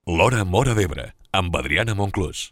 L'Hora Móra d'Ebre, amb Adriana Monclús.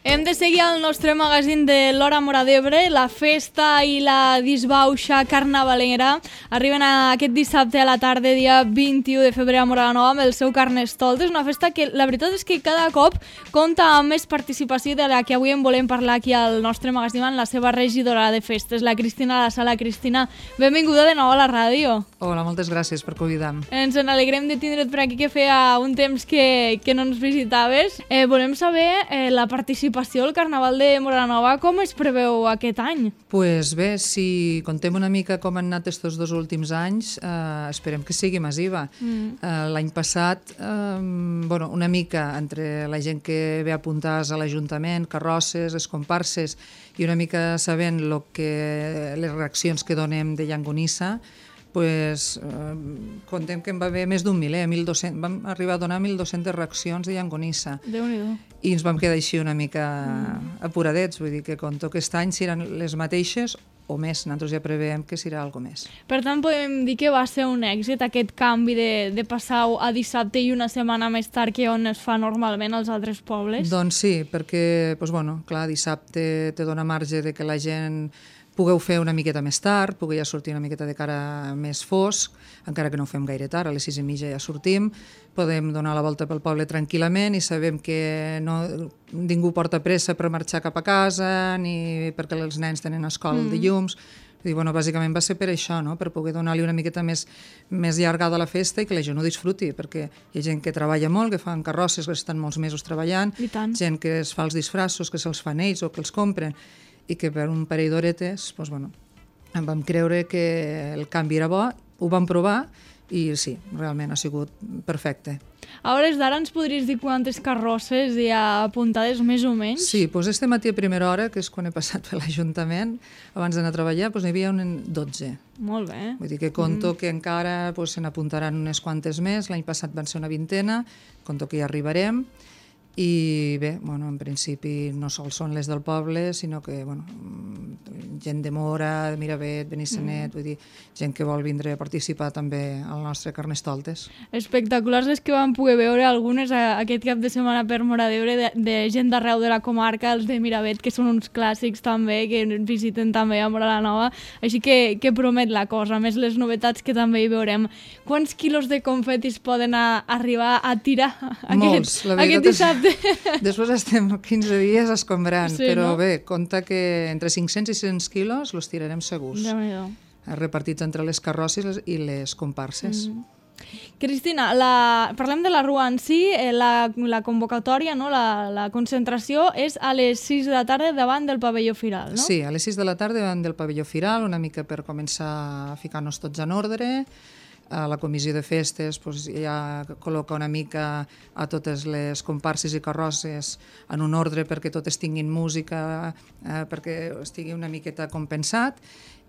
Hem de seguir el nostre magazín de l'Hora Móra d'Ebre. La festa i la disbauxa carnavalera arriben aquest dissabte a la tarda, dia 21 de febrer a Móra la Nova, amb el seu Carnestoltes. Una festa que la veritat és que cada cop compta amb més participació de la que avui en volem parlar aquí al nostre magazín amb la seva regidora de festes, la Cristina La Sala. Cristina, benvinguda de nou a la ràdio. Hola, moltes gràcies per convidar-me. Ens alegrem de tindre't per aquí, que feia un temps que no ens visitaves. Volem saber la participació al Carnaval de Móra la Nova, com es preveu aquest any? Pues bé, si contem una mica com han anat estos dos últims anys, esperem que sigui massiva. L'any passat, una mica entre la gent que ve a apuntar-se a l'Ajuntament, carrosses, les comparses, i una mica sabent les reaccions que donem de Llangonissa, pues, contem que en va haver més d'un miler, 1.200, vam arribar a donar 1.200 reaccions de Llangonissa. Déu-n'hi-do. I ens vam quedar així una mica apuradets, vull dir que conto que aquest any seran les mateixes o més, nosaltres ja preveiem que serà alguna més. Per tant, podem dir que va ser un èxit aquest canvi de passar a dissabte i una setmana més tard que on es fa normalment als altres pobles? Doncs sí, perquè, clar, dissabte te dona marge de que la gent pugueu fer una miqueta més tard, pugueu ja sortir una miqueta de cara més fosc, encara que no ho fem gaire tard, a les 6:30 ja sortim, podem donar la volta pel poble tranquil·lament i sabem que ningú porta pressa per marxar cap a casa, ni perquè els nens tenen escola el dilluns. Bàsicament va ser per això, no? Per poder donar-li una miqueta més llargada a la festa i que la gent ho disfruti, perquè hi ha gent que treballa molt, que fan carrosses, que estan molts mesos treballant, gent que es fa els disfraços, que se'ls fan ells o que els compren, i que per un parell d'horetes em vam creure que el canvi era bo, ho vam provar i sí, realment ha sigut perfecte. A hores d'ara ens podries dir quantes carrosses hi ha apuntades més o menys? Sí, este matí a primera hora, que és quan he passat per l'Ajuntament, abans d'anar a treballar, n'hi havia 12. Molt bé. Vull dir que conto que encara se n'apuntaran unes quantes més, l'any passat van ser una vintena, conto que hi arribarem. I bé, en principi no sols són les del poble, sinó que gent de Móra, de Miravet, Benissanet, vull dir, gent que vol vindre a participar també al nostre Carnestoltes. Espectaculars les que vam poder veure algunes aquest cap de setmana per Móra d'Ebre, de gent d'arreu de la comarca, els de Miravet, que són uns clàssics també, que visiten també a Móra la Nova, així que promet la cosa, a més les novetats que també hi veurem. Quants quilos de confetis poden arribar a tirar aquest dissabte? Després estem 15 dies escombrant, sí, però bé, compta que entre 500 i 600 quilos els tirarem segurs, repartits entre les carrosses i les comparses. Cristina, parlem de la rua en si, la convocatòria, no? La concentració és a les 6 de la tarda davant del pavelló Firal, no? Sí, a les 6 de la tarda davant del pavelló Firal, una mica per començar a ficar-nos tots en ordre. La comissió de festes ja col·loca una mica a totes les comparses i carrosses en un ordre perquè totes tinguin música, perquè estigui una miqueta compensat,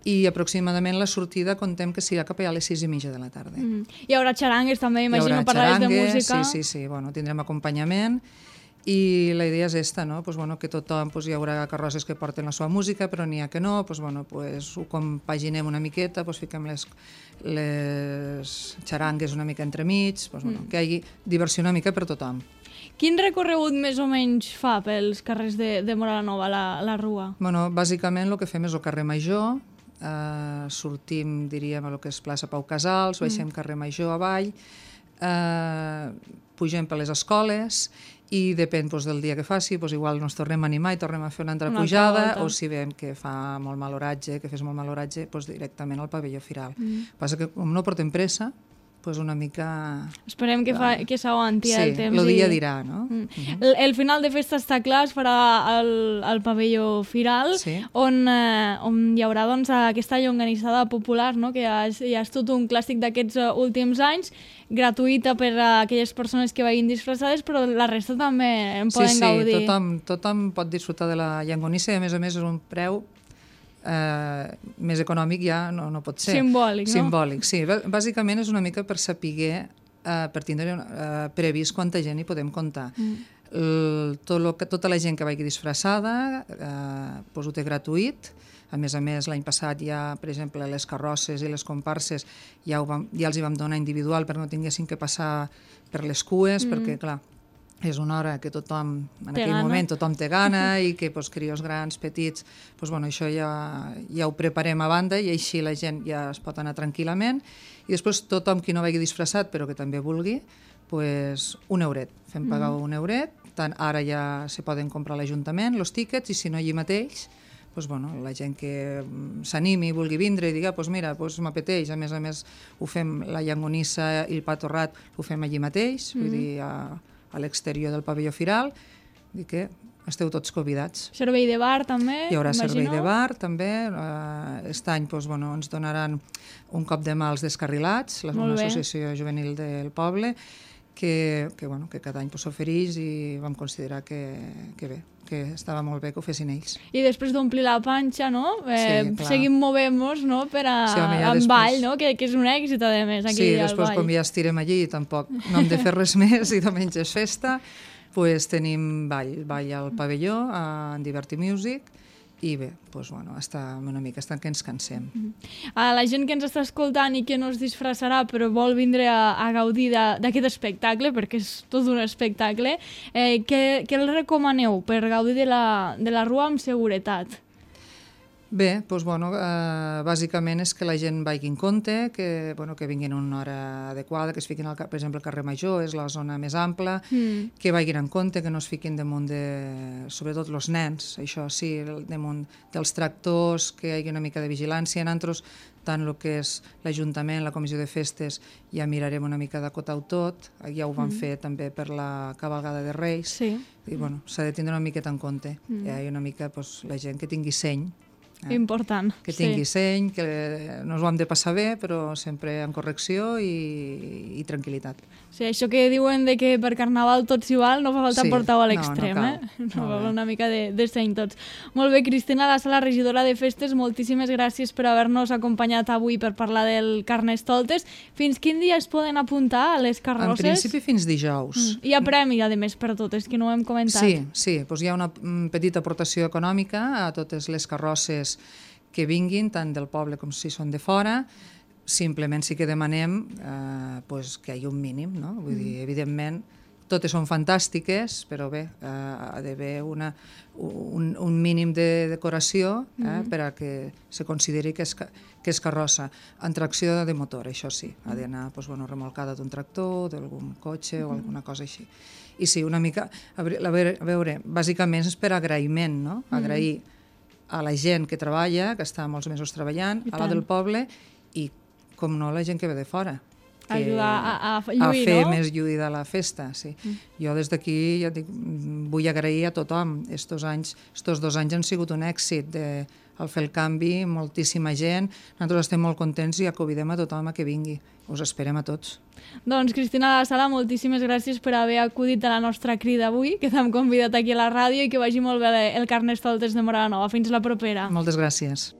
i aproximadament la sortida contem que serà cap a les 6:30 de la tarda. Hi haurà xarangues també, imagino, parlaves de música. Sí, tindrem acompanyament. I la idea és esta, no? Que tothom, hi haurà carrosses que porten la seva música, però n'hi ha que no, ho compaginem una miqueta, fiquem les xarangues una mica entremig, que hi hagi diversió una mica per tothom. Quin recorregut més o menys fa pels carrers de Móra la Nova, la rua? Bàsicament el que fem és el carrer Major, sortim, diríem, a lo que és plaça Pau Casals, baixem carrer Major avall, pugem per les escoles i depèn del dia que faci, igual ens tornem a animar i tornem a fer una altra pujada, o si veiem que fa molt mal oratge, directament al pavelló Firal. Passa que com no portem pressa, una mica... Esperem que s'aguanti el temps. Sí, el dia dirà, no? El final de festa està clar, es farà al pavelló Firal, on hi haurà aquesta llonganissada popular, que ja és tot un clàssic d'aquests últims anys, gratuïta per a aquelles persones que vagin disfressades, però la resta també en poden gaudir. Sí, tothom pot disfrutar de la Llangonissa i a més és un preu més econòmic, ja no pot ser. Simbòlic, no? Simbòlic, sí. Bàsicament és una mica per saber, per tindre previst quanta gent hi podem comptar. tota la gent que vagi disfressada doncs ho té gratuït. A més, l'any passat ja, per exemple, les carrosses i les comparses ja els hi vam donar individual perquè no tinguessin que passar per les cues, perquè, clar, és una hora que tothom, en aquell moment, tothom té gana i que crios grans, petits, això ja ho preparem a banda i així la gent ja es pot anar tranquil·lament. I després tothom qui no vagi disfressat però que també vulgui, un euret. Fem pagar un euret, tant ara ja se poden comprar a l'Ajuntament els tíquets i si no allí mateix, la gent que s'animi i vulgui vindre i digui, mira, m'apeteix, a més ho fem, la llangonissa i el pa torrat ho fem allí mateix, vull dir, a l'exterior del pavelló firal, dir que esteu tots convidats. Servei de bar també, Hi haurà servei de bar també, aquest any ens donaran un cop de mà als descarrilats, l'associació juvenil del poble, que cada any s'ofereix i vam considerar que bé, que estava molt bé que ho fessin ells. I després d'omplir la panxa, no? Seguim movent-nos per amb ball, no? Que és un èxit, a més, aquí al ball. Sí, després com ja estirem allí, tampoc no hem de fer res més i diumenge és festa, tenim ball al pavelló, en Diverti Music, i bé, està una mica, està que ens cansem. A la gent que ens està escoltant i que no es disfressarà però vol vindre a gaudir d'aquest espectacle, perquè és tot un espectacle, què els recomaneu per gaudir de la rua amb seguretat? Bé, bàsicament és que la gent vagi en compte, que vinguin a una hora adequada, que es fiquin, per exemple, al carrer Major, és la zona més ampla, que vagin en compte, que no es fiquin damunt sobretot els nens, això sí, damunt dels tractors, que hi hagi una mica de vigilància. Nosaltres, tant el que és l'Ajuntament, la Comissió de Festes, ja mirarem una mica d'acotar-ho tot, ja ho vam fer també per la cavalgada de Reis, i s'ha de tindre una miqueta en compte, hi ha una mica la gent que tingui seny, important. Que tingui seny, que no ens ho hem de passar bé, però sempre en correcció i tranquil·litat. Sí, això que diuen de que per Carnaval tot s'hi val, no fa falta portar-ho a l'extrem, no cal una mica de seny tots. Molt bé, Cristina La Sala, regidora de Festes, moltíssimes gràcies per haver-nos acompanyat avui per parlar del Carnestoltes. Fins quin dia es poden apuntar a les carrosses? En principi fins dijous. Hi ha premi, a més, per totes, que no ho hem comentat. Sí, hi ha una petita aportació econòmica a totes les carrosses que vinguin, tant del poble com si són de fora. Simplement sí que demanem que hi hagi un mínim, no? Vull dir, evidentment, totes són fantàstiques, però bé, ha d'haver un mínim de decoració per a que se consideri que és carrossa. En tracció de motor, això sí, ha d'anar remolcada d'un tractor, d'algun cotxe o alguna cosa així. I sí, una mica, a veure, bàsicament és per agraïment, no? Agrair a la gent que treballa, que està molts mesos treballant, a la del poble, i, com no, la gent que ve de fora. Ajudar a lluir, a fer més lluïda la festa, sí. Jo des d'aquí ja dic, vull agrair a tothom. Estos 2 anys han sigut un èxit al fer el canvi, moltíssima gent. Nosaltres estem molt contents i convidem a tothom a que vingui. Us esperem a tots. Doncs, Cristina La Sala, moltíssimes gràcies per haver acudit a la nostra crida avui, que t'hem convidat aquí a la ràdio i que vagi molt bé el Carnestoltes de Móra la Nova. Fins la propera. Moltes gràcies.